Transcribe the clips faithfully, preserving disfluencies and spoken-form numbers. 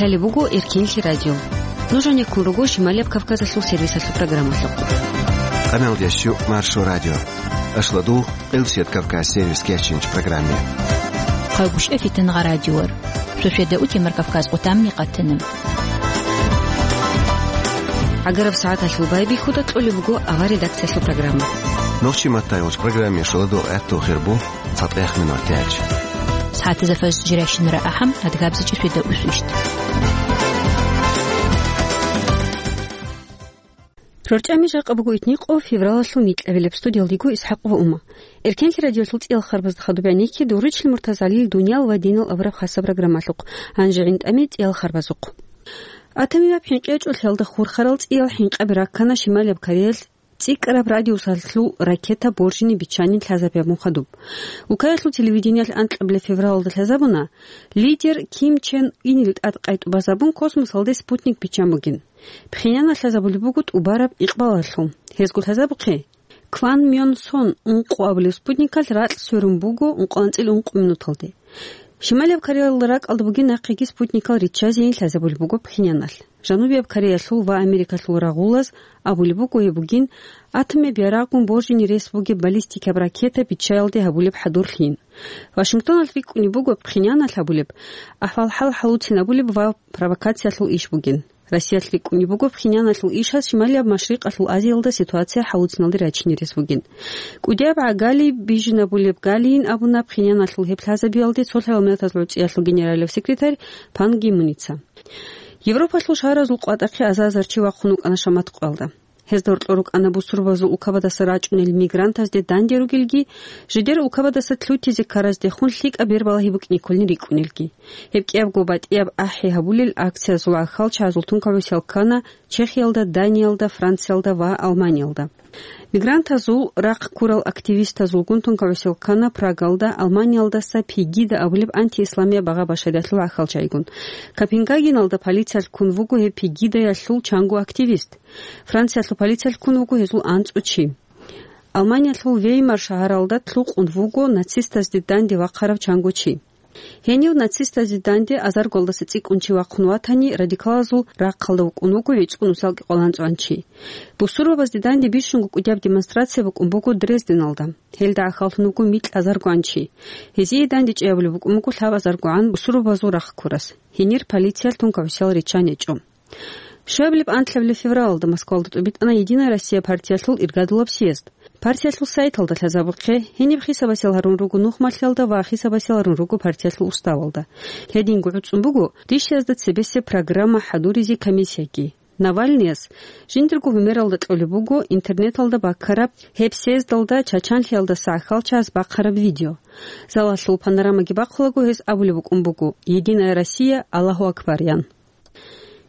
Лъалеб буго Эркенлъи радио. Нуж гьанеккун руго Шималияб Кавказалъул сервисалъул программалъухъ. Къамелдящу Маршо радио. Ашладу Къилсият Кавказ сервис кечинч программе. Хъагуш эфитан гъа радиор. Сосведа утемар Кавказ къутамни къатана. Агараб сагӀаталъул байбихьуда кьолеб буго агъа редакциялъул программа. Нохчи маттайолч программе шуладу гӀатту хирбу. ЦатӀех минут тяч. СагӀатазда фаз жиращинара ахӀам, адгабзичӀи светда усвищт. РорчӀами жакъа буго итникъо февралалъул никьабилеб. Студиялдиго Исхакъ ва Ума. Эркенлъи радиолъул цӀиял харбазда хадуб гӀенекке Дурричлъи Муртазалил «Дуниял ва динал» абураб хасаб программалъухъ. Гьанже гӀинтӀаме цӀиял харбазухъ. Атамияб хӀинкъи гьечӀолъиялда хурхарал цӀиял хӀинкъаби раккана Шималияб Кореялъ цӀикӀкӀараб радиусалъул ракета боржине биччанин лъазабияб мухъадуб. Укаялъул телевидениялъ анкьабилеб февралалда лъазабуна, лидер Ким Чен Инил тӀад къайтӀубазабун космосалде спутник биччан бугин. Пхеньяналъ лъазабулеб буго тӀубараб икъбалалъул. Гьезго лъазабухъе, Кван Мён Сон ункъо абулеб спутникалъ ракь сверун буго ункъоанцӀил ункъо минуталде. Шималияб Кореялда ракӀалда бугин нахъеги спутникал риччазейин лъазабулеб буго Пхеньяналъ. Жанубияб Кореялъул ва Америкалъул рагъулаз абулеб буго гьеб бугин атомияб ярагъгун боржине рес бугеб баллистикаб ракета биччаялде гьабулеб хӀадурлъин. Вашингтоналъ рикӀкӀунеб буго Пхеньяналъ гьабулеб ахӀвал-хӀал хӀалуцинабулеб ва провокациялъул иш бугин. Россиялъ рикӀкӀунеб буго Пхеньяналъул ишаз Шималияб Машрикъалъул Азиялда ситуация хӀалуциналде рачине рес бугин. КӀудияб гӀагали бижинабулеб галийин абуна Пхеньяналъул гьеб лъазабиялде цолъ гьабминатазул гӀуцӀиялъул генералияб секретарь Пан Ги Муница. Европалъул шагьаразул къватӀахъе азар-азар чи вахъун вукӀана шамат къоялда. Гьезда гьоркьор рукӀана бусурбабазул улкабадаса рачӀунел мигрантазде данде ругелги, жидер улкабадаса лъутизе ккараздехун лъикӀаб бербалагьи букӀине кколин рикӀкӀунелги. Гьеб кӀиябго батӀияб ахӀи гьабулел акциязул гӀахьалчагӀазул тункагӀусиял ккана Чехиялда, Даниялда, Франциялда ва Алманиялда. Мигрантазул рахъ ккурал активистазулгун тункагӀусиял ккана Прагалда, Алманиялдаса Пегида абулеб антиисламияб багъа-башариялъул гӀахьалчагӀигун. Копенгагеналда полициялъ ккун вуго гьеб Пегидаялъул чанго активист. Франциялъул полициялъ ккун вуго гьезул анцӀго чи. Алманиялъул Веймар шагьаралда лъукъун вуго нацистазде данде вахъарав чанго чи. Гьенив нацистазде данде азаргоялдаса цӀикӀкӀун чи вахъун ватани, радикалазул рахъалда вукӀун вуго гӀицӀго нусалги къоло анцӀгоян чи. Бусурбабазде данде бищунго кӀудияб демонстрация букӀун буго Дрезденалда. Гьелда гӀахьаллъун вуго микь азаргоян чи. Гьезие данде чӀей гьабулеб букӀун буго лъабазаргогӀан бусурбабазул рахъ ккурас. Гьенир полициялъ тункагӀусиял риччан гьечӀо. Щуабилеб анкьабилеб февралалда Москвалда тӀубитӀана «Единая Россия» партиялъул иргадулаб съезд. Партиялъул сайталда лъазабухъе, гьениб хисабасел гьарун руго нухмалъиялда ва хисабасел гьарун руго партиялъул уставалда. Гьединго гӀуцӀун буго дищазда цебесеб программа хӀадуризе комиссияги. Навальныяс жиндирго гьумералда кьолеб буго интернеталда баккараб гьеб съездалда чачанлъиялдаса гӀахьалчагӀаз бахъараб видео. Залалъул панорамаги бахъулаго гьес абулеб букӀун буго: «Единая Россия, Аллагьу акбар», – ян.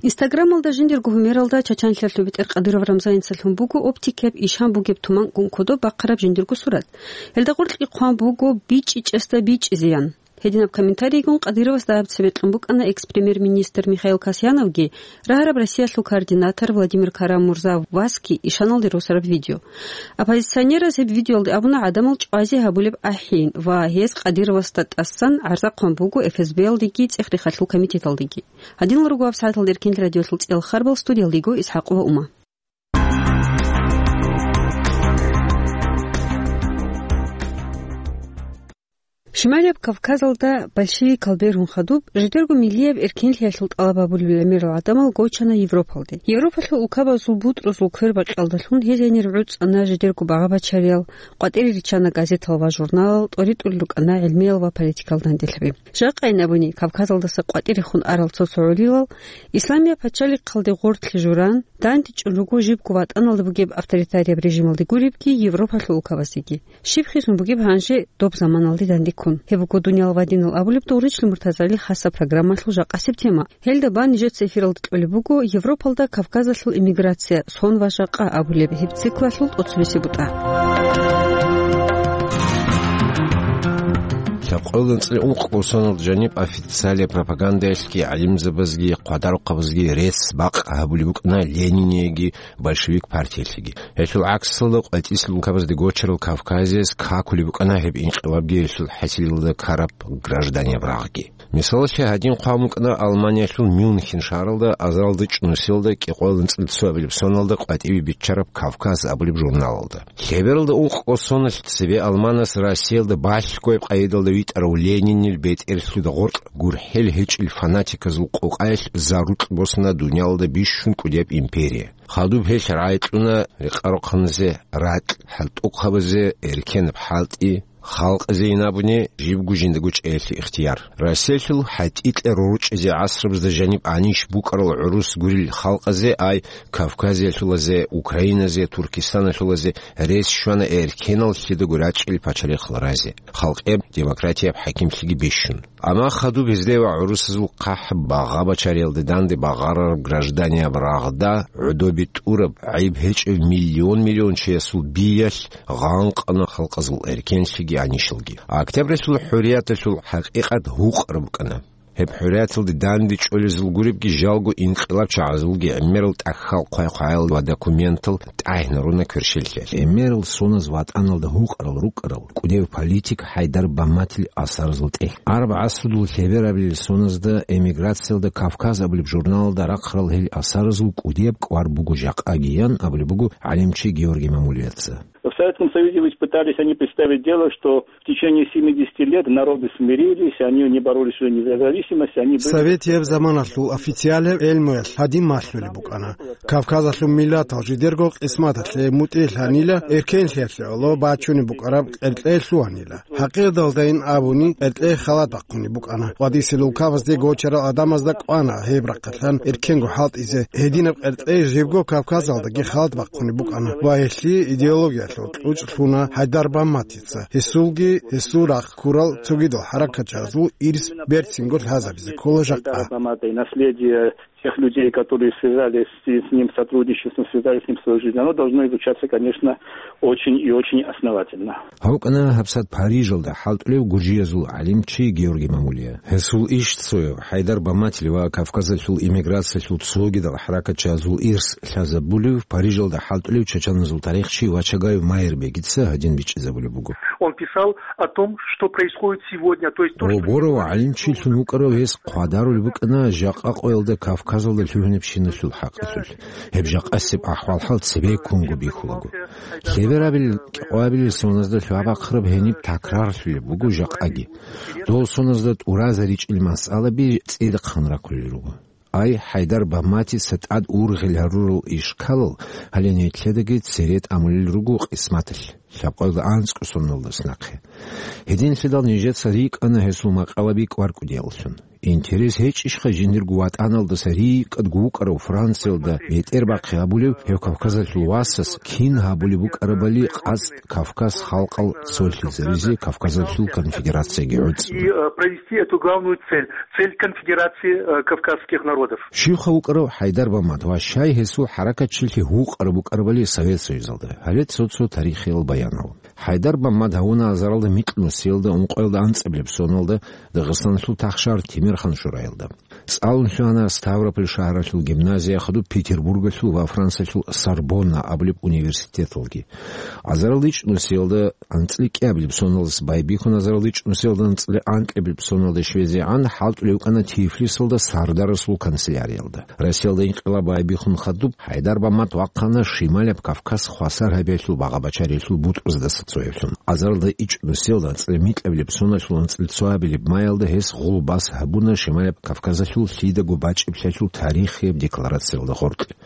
Инстаграмалда жиндирго гьумералда чачанлъиялъул бетӀер Кадыров Рамзаница лъун буго оптикияб ишан бугеб туманкӀун кодоб бахъараб жиндирго сурат. Гьелда гъоркьги хъван буго: «БичӀчӀичӀесда бичӀчӀизеян». Гьединаб комментарийгун Кадыровасда гьаб цебе кьун букӀана экс-премьер-министр Михаил Касьяновги, рагьараб Россиялъул координатор Владимир Карамурза Васки ишаналде росараб видео. Оппозиционераз гьеб видеоялде абуна гӀадамал чӀвазе гьабулеб ахӀи ва гьез Кадыровасда тӀасан гӀарза хъван буго ФСБ-ялдеги ЦӀех-рехалъул комитеталдеги. Гьадинал руго гьаб сагӀаталда Эркенлъи радиолъул цӀиял харбал, студиялдего Исхакъова Ума. Шималияб Кавказалда большевикал бергьун хадуб, жидерго миллияб эркенлъиялъул тӀалаб гьабулел гӀемерал гӀадамал гочана Европалде. Европалъул улкабазул бутӀрузул квербакьалдалъун гьез гьенир гӀуцӀана жидерго багъа-бачариял, къватӀире риччана газетал ва журналал, тӀоритӀулел рукӀана гӀилмиял ва политикал данделъаби. Жакъайин абуни, Кавказалдаса къватӀирехун арал цо-цо гӀолилал, Исламияб пачалихъалде гъорлъе журан, дандечӀун руго жибго ватӀаналда бугеб авторитарияб режималде гуребги, Европалъул улкабаздеги. Щиб хисун бугеб гьанже доб заманалде дандеккун? Гьеб буго «Дуниял ва динал» абулеб Дурричлъи Муртазалил хасаб программалъул жакъасеб тема. Гьелда бан нижеца эфиралда кьолеб буго Европалда Кавказалъул эмиграция, сон ва жакъа абулеб гьеб циклалъул тӀоцебесеб бутӀа. Лъаб КъоланцӀли ункъго соналда жаниб официалияб пропагандаялъги гӀалимзабазги хъвадарухъабазги рецц-бакъ гьабулеб букӀана Ленинияги большевик партиялъеги. Гьелъул гӀаксалда къватӀислъи улкабазде гочарал Кавказияс какулеб букӀана гьеб инкъилабги гьелъул хӀасилалда ккараб гражданияб рагъги. Мисалалъе, гьадин хъван букӀана Алманиялъул Мюнхен шагьаралда азаралда чӀунусиялда кӀикъоялда анцӀила цоабилеб соналда къватӀибе биччараб Кавказ абулеб журналалда. Лъебералда ункъго соналъ цебе Алманас Россиялда балъгояб къайдалда витӀарав Ленинил бетӀерлъуда гъоркь гурхӀел гьечӀел фанатиказул къокъаялъ зарукь босана дуниялалда бищун кӀудияб империя. Хадуб гьелъ рагӀи кьуна рекъарухъаназе ракь, хӀалтӀухъабазе эркенаб хӀалтӀи, халкъазе ин абуни жибго жиндаго чӀеялъе ихтияр. Россиялъул хӀатӀикьа рорчӀизе гӀасрабазда жаниб гӀанищ букӀарал гӀурус гурел халкъазе, ай Кавказиялъулазе, Украиназе, Туркистаналъулазе рес щвана эркеналлъидаго рачӀел пачалихъал разе, халкъияб демократияб хӀакимлъиги бищун. Амма хадуб гьезде ва гӀурусазул хъахӀ багъа-бачариялде данде багъарараб гражданияб рагъда гӀодобе тӀураб, гӀайиб гьечӀев миллион-миллион чиясул биялъ гъанкъана халкъазул эркенлъиги гӀанищалги. Октябралъул хӀурияталъул хӀакъикъат гьукъараб букӀана. Гьеб хӀурияталде данде чӀолезул гуребги жалго инкъилабчагӀазулги гӀемерал тӀахьал хъвай-хъваял ва документал тӀагӀинаруна кверщеллъиялъ. ГӀемерал соназ ватӀаналда гьукъарал рукӀарал кӀудияв политик ХӀайдар Бамматил асаразул тӀехь. Араб гӀасрудул лъеберабилел соназда эмиграциялда Кавказ абулеб журналалда рахъарал гьел асаразул кӀудияб кӀвар буго жакъагиян абулеб буго гӀалимчи Георгий Мамулияца. В Советском Союзе ведь пытались они представить дело, что в течение семидесяти лет народы смирились, они не боролись за независимость, они были... Советияб заманалъул официалияб гӀелмуялъ гьадин малъулеб букӀана: Кавказалъул миллатал жидерго къисматалъе мутӀигӀлъанила, эркенлъиялъе гӀоло бачунеб букӀараб къеркьей лъугьанила. ХӀакъикъаталдайин абуни, къеркьей халат бахъунеб букӀана. КъватӀисел улкабазде гочарал гӀадамазда кӀвана гьеб рахъалъан эркенго хӀалтӀизе. Гьединаб къеркьей жибго Кавказалдаги халат бахъунеб букӀана ва гьелъие идеологиялъул кьучӀ лъуна ХӀайдар Бамматица. Гьесулги гьесул рахъ ккурал цогидал хӀаракатчагӀазул ирс берцинго лъазабизе ккола жакъа. Баммата и наследие тех людей, которые связались с, с ним сотрудничеством, связали с ним свою жизнь, оно должно изучаться, конечно, очень и очень основательно. ГьавкӀана гьабсагӀат Парижалда хӀалтӀулев гуржиязул гӀалимчи Георгий Мамулия. Гьесул иш цояв, ХӀайдар Бамматил ва Кавказалъул эмиграциялъул цогидал хӀаракатчагӀазул ирс лъазабулев Парижалда хӀалтӀулев чачаназул тарихчи Вачагаев Майрбегица гьадин бичӀчӀизабулеб буго. Он писал о том, что происходит сегодня, то есть то, что... Гьоборав гӀалимчилъун вукӀарав гьес хъвадарулеб букӀана жакъа къоялда Кавказалда лъугьинабщиналъул хӀакъалъулъ. Гьеб жакъасеб ахӀвал-хӀал цебеккунго бихьулаго. Лъеберабил кӀикъоябилел соназда лъугьа-бахъараб гьениб такрарлъулеб буго жакъаги. Дол соназда тӀуразаричӀел масъалаби цӀидахъан рахъулел руго. Ай, ХӀайдар Бамматица тӀад ургъел гьарурал ишкалал гьале нилъедаги цере тӀамулел руго къисматалъ, лъабкъоялда анцӀго соналдаса нахъе. Гьединлъидал нижеца рикӀкӀана гьесул макъалаби кӀвар кӀудияллъун. Интерес гьечӀищха жиндирго ватӀаналдаса рикӀкӀадго вукӀарав Франциялда бетӀербахъи гьабулев гьев Кавказалъул васас кин гьабулеб букӀарабали къацӀ Кавказ халкъал цолъизаризе Кавказалъул конфедерацияги гӀуцӀ? И, э, провести эту главную цель, цель конфедерации, э, кавказских народов. Щивха вукӀарав ХӀайдар Баммат ва щай гьесул хӀаракатчилъи гьукъараб букӀарабали Совет Союзалда, гьале цо-цо тарихиял баянал. ХӀайдар Баммат гьавуна азаралда микьнусиялда ункъоялда анцӀабилеб соналда Дагъистаналъул тахшар Тимерхан шураялда. ЦӀалун лъугьана Ставрополь шагьаралъул гимназия, хадуб Петербургалъул ва Франциялъул Сорбонна абулеб университеталги. Азарал ичӀнусиялда анцӀила кӀиабилеб соналдаса байбихьун, азарал ичӀнусиялда анцӀила анкьабилеб соналда щвезегӀан хӀалтӀулев вукӀана Тифлисалда сардарасул канцеляриялда. Россиялда инкъилаб байбихьун хадуб, ХӀайдар Баммат вахъана Шималаб Кавказ хвасар гьабиялъул багъа-бачариялъул бутӀруздаса цояблъун. Азаралда ичӀнусиялда анцӀила микьабилеб соналъул анцӀила цоабилеб маялда гьес гъулбас гьабуна Шималаб Кавказалъул лъидаго бачӀиблъиялъул тарихияб декларациялда гъоркье.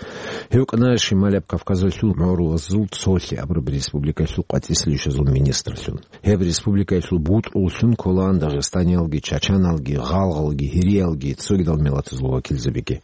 Гьев вукӀана Шималаб Кавказалъул гӀурузул цолъи абураб республикаялъул къватӀислъи ишазул министрлъун. Гьеб республикаялъул бутӀруллъун кколаан дагъистаниялги, чачаналги, гъалгъалги, гьириялги, цогидал миллатазул вакилзабиги.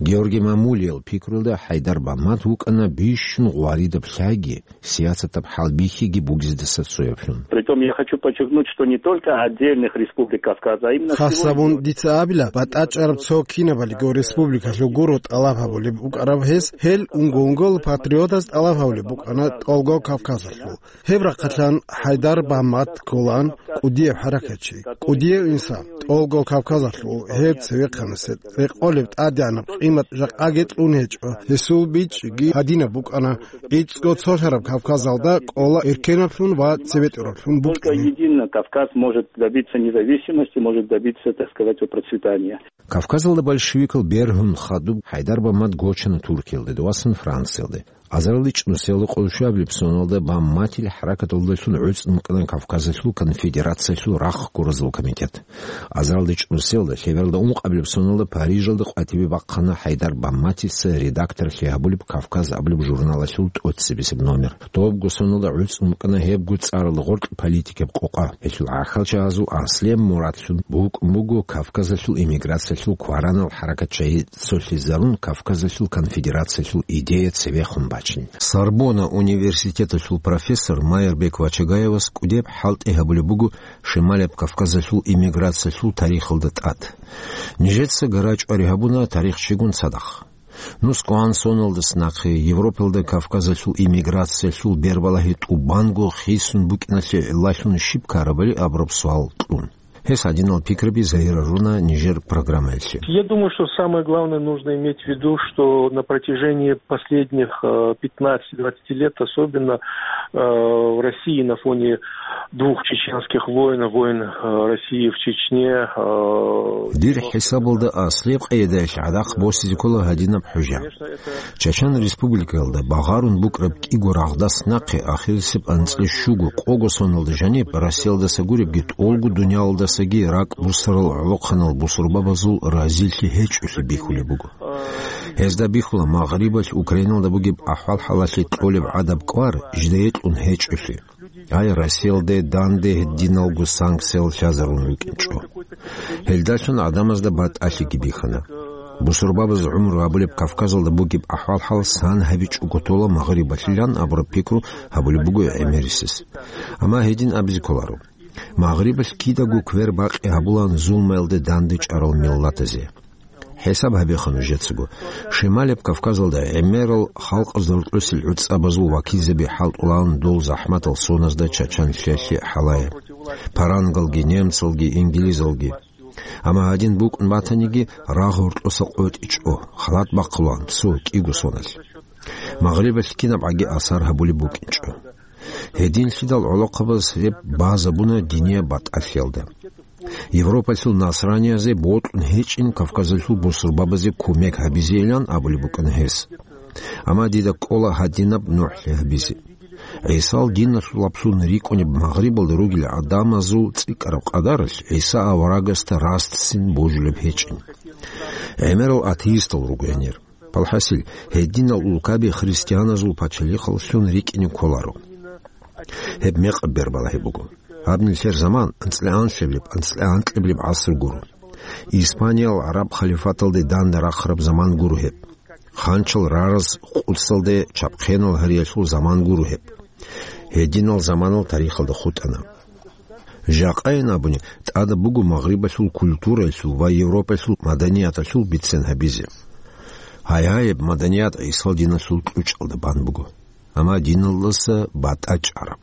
Георгий Мамулиял пикруялда ХӀайдар Баммат вукӀана бищун гъваридаб лъайги, сиясатаб хӀалбихьиги бугездаса цояблъун. Притом я хочу подчеркнуть, что не только отдельных республик Кавказа, а именно... Хасабун дица абила, батӀачӀараб цо кинабалиго республикалъул гуро тӀалаб гьабулеб букӀараб гьес, Гьел унго-унгола патриотаз тӀалаб гьабулеб букӀана тӀолго Кавказалъул. Гьеб рахъалъан ХӀайдар Бамат кколаан кӀудияв хӀаракатчи, кӀудияв инсан, тӀолго Кавказалъул гьев цевехъанасе рекъолеб тӀадегӀанаб къимат жакъаги кьун гьечӀо. Гьесул бичӀчӀиги гьадинаб букӀана: ГӀицӀго цолъараб Кавказалда кӀола эркенаблъун ва цебетӀераблъун Только букӀине. Едино Кавказ может добиться независимости, может добиться, так сказать, процветания. Кавказалда большевикал бергьун хадуб ХӀайдар Бамат гочана Туркиялде, дов вассана Франциялде. Азарилда чӀнусиялда къоло щуабилеб соналда Баматил хӀаракаталдалъун гӀуцӀун букӀана Кавказалъул конфедерациялъул рахъ гуразул комитет. Азарилда чӀнусиялда, лъебералда ункъабилеб соналда Парижалда къватӀибе бахъана ХӀайдар Баматица редакторлъи гьабулеб «Кавказ» абулеб журналалъул тӀоцебесеб номер. Добго соналда гӀуцӀун букӀана гьебго цӀаралда гъоркь политикаб къокъа. Гьелъул гӀахьалчагӀазул аслияб мурадлъун букӀун буго Кавказалъул эмиграциялъул кваранал хӀаракатчагӀи цолъизарун Кавказалъул конфедерациялъул идея цевехун бачин. Сорбонна университеталъул профессор Майрбек Вачагаевас кӀудияб хӀалтӀи гьабулеб буго Шималияб Кавказалъул эмиграциялъул тарихалда тӀад. Нижеца гара чӀвари гьабуна тарихчигун цадахъ. НускӀан соналдаса нахъе Европалда Кавказалъул эмиграциялъул бербалагьи тӀубанго хисун букӀиналъе гӀиллалъун щиб ккарабали абураб суал кьун. Гьес гьадинал пикраби загьирлъуна нижер программаялъе. Я думаю, что самое главное нужно иметь в виду, что на протяжении последних э, пятнадцати-двадцати лет, особенно э, в России на фоне двух чеченских войн, войн э, России в Чечне, э, Дир хӀисабалда аслияб къайдаялъ гӀадахъ босизе ккола гьадинаб хӀужа. Чачан республикаялда багъарун букӀараб кӀиго рагъдас нахъе ахирисеб анцӀила щуго-къого соналда жаниб Россиялдаса гуребги тӀолго дуниялалдасаги ракӀ бусарал гӀолохъанал бусурбабазул разилъи гьечӀолъи бихьулеб буго. Гьезда бихьула Магърибалъ Украиналда бугеб ахӀвал-хӀалалъе кьолеб гӀадаб кӀвар жидее кьун гьечӀолъи. Гьай, Россиялде данде гьединалго санкциял лъазарун рукӀинчӀо. Гьелдалъун гӀадамазда батӀалъиги бихьана. Бусурбабаз гӀумру гьабулеб Кавказалда бугеб ахӀвал-хӀал сан гьабичӀого тола Магърибалъилан абураб пикру гьабулеб буго гӀемерисез. Амма гьедин абизе кколаро. Магърибалъ кидаго квер бакъи гьабулаан зулмаялде данде чӀарал миллатазе. ХӀисаб гьабеха нужецаго. Шималияб Кавказалда гӀемерал халкъазда рокьосел гӀуцӀабазул вакилзаби хӀалтӀулаан дол захӀматал соназда чачанлъиялъе хӀалае. Парангалги, немцалги, инглизалги. Амма гьадин букӀун батаниги, рагъ гьоркьоса къотӀичӀо, халат бахъулаан цо кӀиго соналъ. Магърибалъ кинаб гӀаги асар гьабулеб букӀинчӀо. Гьединлъидал гӀолохъабаз гьеб базабуна динияб батӀалъиялда. Европалъул насраниязе бокьун гьечӀин Кавказалъул бусурбабазе кумек гьабизейилан абулеб букӀана гьес. Амма дида кӀола гьадинаб нухӀлъи гьабизе. ГӀисал диналъулаблъун рикӀкӀунеб Магърибалда ругел гӀадамазул цӀикӀкӀараб къадаралъ ГӀиса аварагасда растцин божулеб гьечӀин. ГӀемерал атеистал руго гьенир. Палхасил, гьединал улкаби христианазул пачалихъаллъун рикӀкӀине кколаро. Гьеб мекъаб бербалагьи буго. Гьаб нилъер заман анцӀила анлъабилеб, анцӀила анкьабилеб гӀаср гуро. Испаниял гӀараб халифаталде данде рахъараб заман гуро гьеб. Ханчал рараз къудсалде чапхъенал гьариялъул заман гуро гьеб. Гьединал заманал тарихалда хутӀана. Жакъайин абуни, тӀадаб буго Магърибалъул культураялъул ва Европалъул маданияталъул бицен гьабизе. Гьай-гьаяб маданият ГӀисал диналъул кьучӀалда бан буго, амма диналдаса батӀа чӀараб.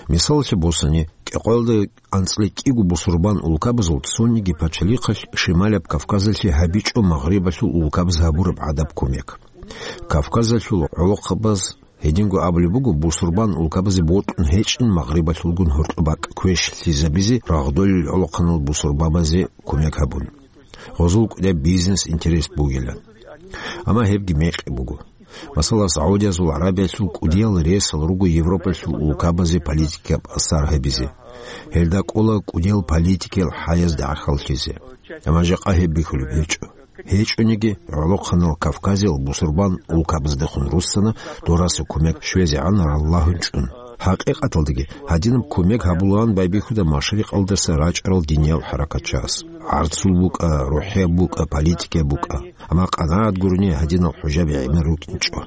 Мисалалъе босани, кӀикъоялда анцӀила кӀиго бусурбан улкабазул цониги пачалихъалъ Шималияб Кавказалъе гьабичӀо Магърибалъул улкабаз гьабураб гӀадаб кумек. Кавказалъул гӀолохъабаз Гьединго абулеб буго, бусурбан улкабазе бокьун гьечӀин Магърибалъулгун гьоркьоб бакӀ квешлъизабизе рагъдолел гӀолохъанал бусурбабазе кумек гьабун, гъозул кӀудияб бизнес-интерес бугилан. Амма гьебги мекъи буго. Масала, Саудиязул ГӀарабиялъул кӀудиял ресал руго Европалъул улкабазе политикаб асар гьабизе. Гьелда кӀола кӀудиял политикиял хӀаязда гӀахьаллъизе. Амма жакъа гьеб бихьулеб гьечӀо. ГьечӀониги, гӀолохъанал Кавказиял бусурбан улкабаздехун руссана дораса кумек щвезегӀан раллагьун чӀун. ХӀакъикъаталдаги, гьадинаб кумек гьабулаан байбихьуда машрикъалдаса рачӀарал диниял хӀаракатчагьас. ГӀарцул букӀа, рухӀияб букӀа, политикияб букӀа. Амма къанагӀат гурони гьадинал хӀужаби гӀемер рукӀинчӀо.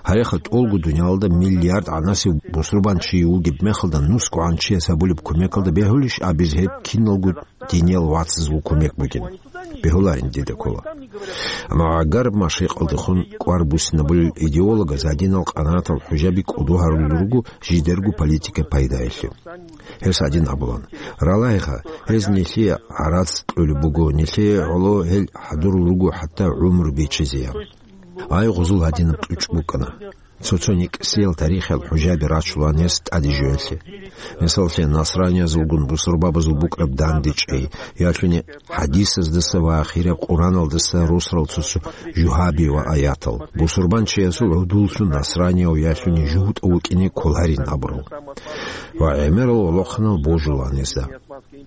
Гьареха, тӀолго дуниялалда миллиард гӀанасев бусурбан чи вугеб мехалда нусгогӀан чияс гьабулеб кумекалда бегьулищ абизе гьеб киналго диниял вацазул кумек бугин? Бегьуларин, дида ккола. Амма гӀагараб машрикъалдехун кӀвар буссинабулел идеологаз гьадинал къанагӀатал хӀужаби кӀодо гьарулел руго жидерго политика пайдаялъе. Гьес гьадин абулан: «Ралагьиха, гьез нилъее гӀарац кьолеб буго, нилъее гӀоло гьел хӀадурал руго хӀатта гӀумру биччазеян». Ай, гъузул гьадинаб кьучӀ букӀана. Цо-цо никӀсиял тарихиял хӀужаби рачулан гьес тӀаде жоялъе. Мисаллъе, насраниязулгун бусурбабазул букӀараб дандечӀей, ялъуни хӀадисаздаса ва ахираб Къураналдаса росарал цо-цо жугьаби ва аятал, бусурбанчиясул гӀудуллъун насранияв ялъуни жугьутӀав вукӀине кколарин абурал. Ва гӀемерал гӀолохъанал божулан гьезда.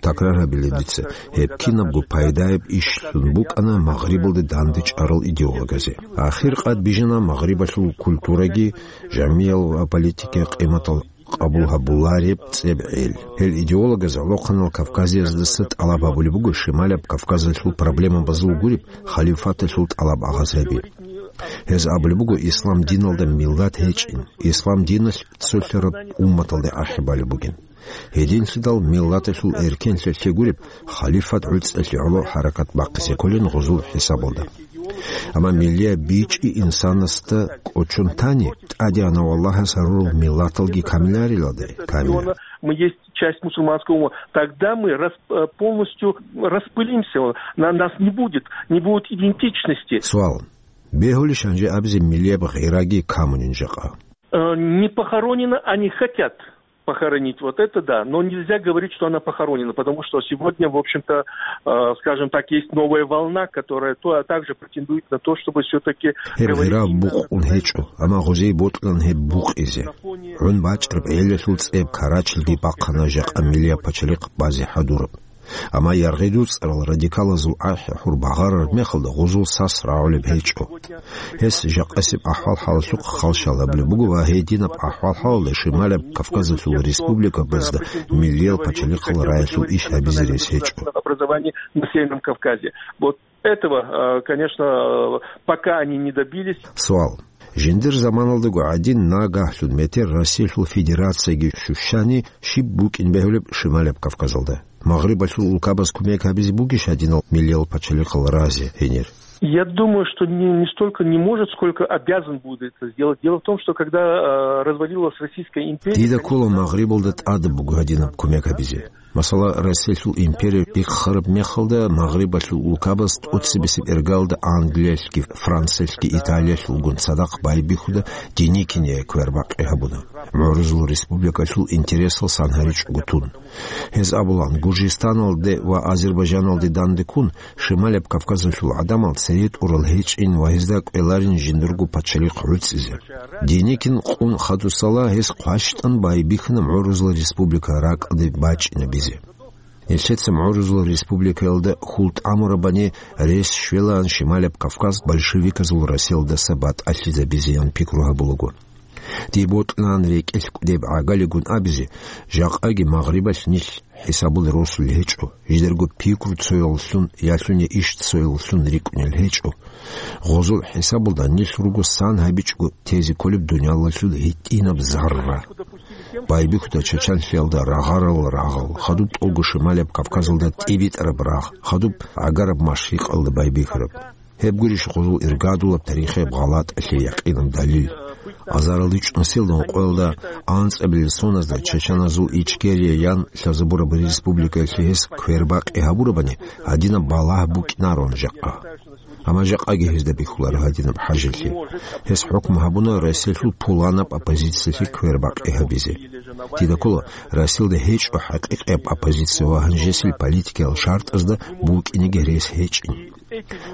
Такрар гьабилеб дица, гьеб кинабго пайдаяб ишлъун букӀана Магърибалде дандечӀарал идеологазе. Ахир къад бижана Магърибалъул культураги, жамиял ва политикиял къиматал къабул гьабулареб цӀебгӀел. Гьел идеологаз гӀолохъанал кавказияздаса тӀалаб гьабулеб буго шималаб Кавказалъул проблемабазул гуреб халифаталъул тӀалаб агъаз гьаби. Гьез абулеб буго ислам диналда миллат гьечӀин, ислам диналъ цолъараб умматалде ахӀи балеб бугин. Гьединлъидал миллаталъул эркенлъиялъе гуреб халифат гӀуцӀалъе гӀоло хӀаракат бахъизе кколин гъузул хӀисабалда. Амма миллияб бичӀчӀи инсанасда кӀочон тани, тӀадегӀанав Аллагьас гьарурал миллаталги камиларилалде, камилар. Мы есть часть мусульманского умма. Тогда мы рас-, э, полностью распылимся. На-, нас не будет, не будет идентичности. Суал. Бегьулищ гьанже абизе миллияб гъираги камунин жакъа? Э, не похоронено, они хотят похоронить, вот это да, но нельзя говорить, что она похоронена, потому что сегодня, в общем-то, э, скажем так, есть новая волна, которая то, а также претендует на то, чтобы всё-таки... Гьеб гъира букъун гьечӀо, амма гъозие бокьулан гьеб букъизе. ГӀун бачӀараб гӀелалъул цӀеб Карачилги бахъана жакъа миллияб пачалихъ базе хӀадураб. Амма яргъи дуцӀарал радикалазул ахӀи-хӀур багъарараб мехалда гъузул сас рагӀулеб гьечӀо. Гьес жакъасеб ахӀвал-хӀалалъухъ халщал гьабулеб буго ва гьединаб ахӀвал-хӀалалда шималаб Кавказалъул республикабазда миллиял пачалихъал раялъул иш гьабизе рес гьечӀо. Образование на Северном Кавказе. Вот этого, э, конечно, э, пока они не добились. Суал. Жиндир заманалдаго гӀадин нагагьлъун метер Россиялъул Федерацияги щущани щиб букӀин бегьулеб шималаб Кавказалда? Магърибалъул улкабаз кумек гьабизе бугищ гьадинал миллиял пачалихъал разе гьенир? Я думаю, что не, не столько не может, сколько обязан будет это сделать. Дело в том, что когда, э, развалилась Российская империя... Дида ккола Магърибалда тӀадаб буго гьадинаб кумек гьабизе. Масала, Россиялъул империя биххараб мехалда, Магърибалъул улкабаз тӀоцебесеб иргалда Англиялъги, Франциялъги, Италиялъулгун цадахъ байбихьуда Деникиния квербакъи гьабуна, МугӀрузул республикалъул интересалсан гьаричӀого тун. Гьез абулан, Гуржистаналде ва Азербайджаналде данде ккун, Шималаб Кавказалъул гӀадамал цере тӀурал гьечӀин ва гьезда кӀвеларин жиндирго пачалихъ гӀуцӀизе. Деникин къун хадусала гьес хъващтӀан байбихьана МугӀрузул республика ракӀалде бачӀинабизе. Нилъеца МугӀрузул республикаялда хьул тӀамурабани рес щвелаан Шималаб Кавказ большевиказул Россиялдаса батӀалъизабизеян пикру гьабулаго. Дие бокьилаан рекӀелъ кӀудеб гӀагалигун абизе, жакъаги Магърибалъ нилъ хӀисабулел росулел гьечӀо, жидерго пикру цояллъун, ялъуни иш цояллъун рикӀкӀунел гьечӀо. Гъозул хӀисабалда нилъ руго сан гьабичӀого тезе кколеб дуниялалъул гьитӀинаб зарра. Байбихьуда чачанлъиялда рагъарал рагъал, хадуб тӀолго Шималаб Кавказалда тӀибитӀараб рагъ, хадуб гӀагараб машрикъалда байбихьараб. Гьеб гурищ гъозул иргадулаб тарихияб гъалатӀалъе якъинаб далил? Азаралде чӀун нилъеда ункъоялда анцӀабилел соназда чачаназул Ичкерия ян лъазабураб республикаялъе гьес квербакъи гьабурабани, гьадинаб балагь букӀинарон жакъа. Амма жакъаги гьезда бихьуларо гьадинаб хӀажалъи. Гьес хӀукму гьабуна Россиялъул пуланаб оппозициялъе квербакъи гьабизе. Дида ккола, Россиялда гьечӀо хӀакъикъияб оппозиция ва гьанжесил политикиял шартӀазда букӀинеги рес гьечӀин.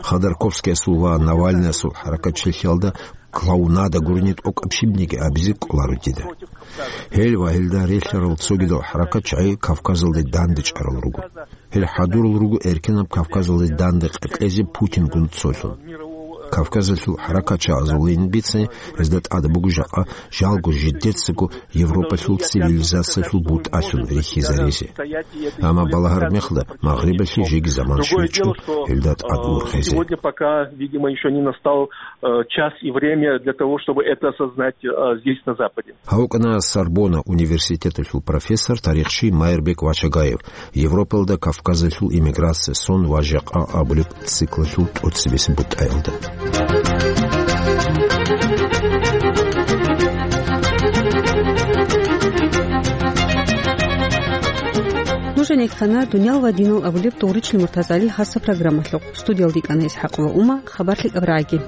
Ходорковскиясул ва Навальныясул хӀаракатчилъиялда клоунада гурони тӀокӀаб щибниги абизе кӀоларо дида. Гьел ва гьелда релълъарал цогидал хӀаракатчагӀи Кавказалде дандечӀарал руго. Гьел хӀадурал руго эркенаб Кавказалде данде къекъезе Путингун цолъун. Кавказалъул хӀаракатчагӀазулин бицани, гьезда тӀад буго жакъа жалго жидецаго Европалъул цивилизациялъул бутӀалъун рихьизаризе. Амма балагьараб мехалда Магърибалъе жеги заман щвечӀо гьелда тӀад ургъезе. Сегодня пока, видимо, ещё не настал, э, час и время для того, чтобы это осознать, э, здесь, на Западе. Гьав вукӀана Сорбонна университеталъул профессор, тарихчи Майрбек Вачагаев, Европалда Кавказалъул иммиграция сон ва жакъа абулеб циклалъул тӀоцебесеб бутӀаялда. Нуж гӀенеккана «Дуниял ва динал» абулеб Дугъричил МуртазгӀалил хасаб программалъухъ. Студиялда йикӀана ИсхӀакъова Ума, хабар лъикӀаб рагӀаги.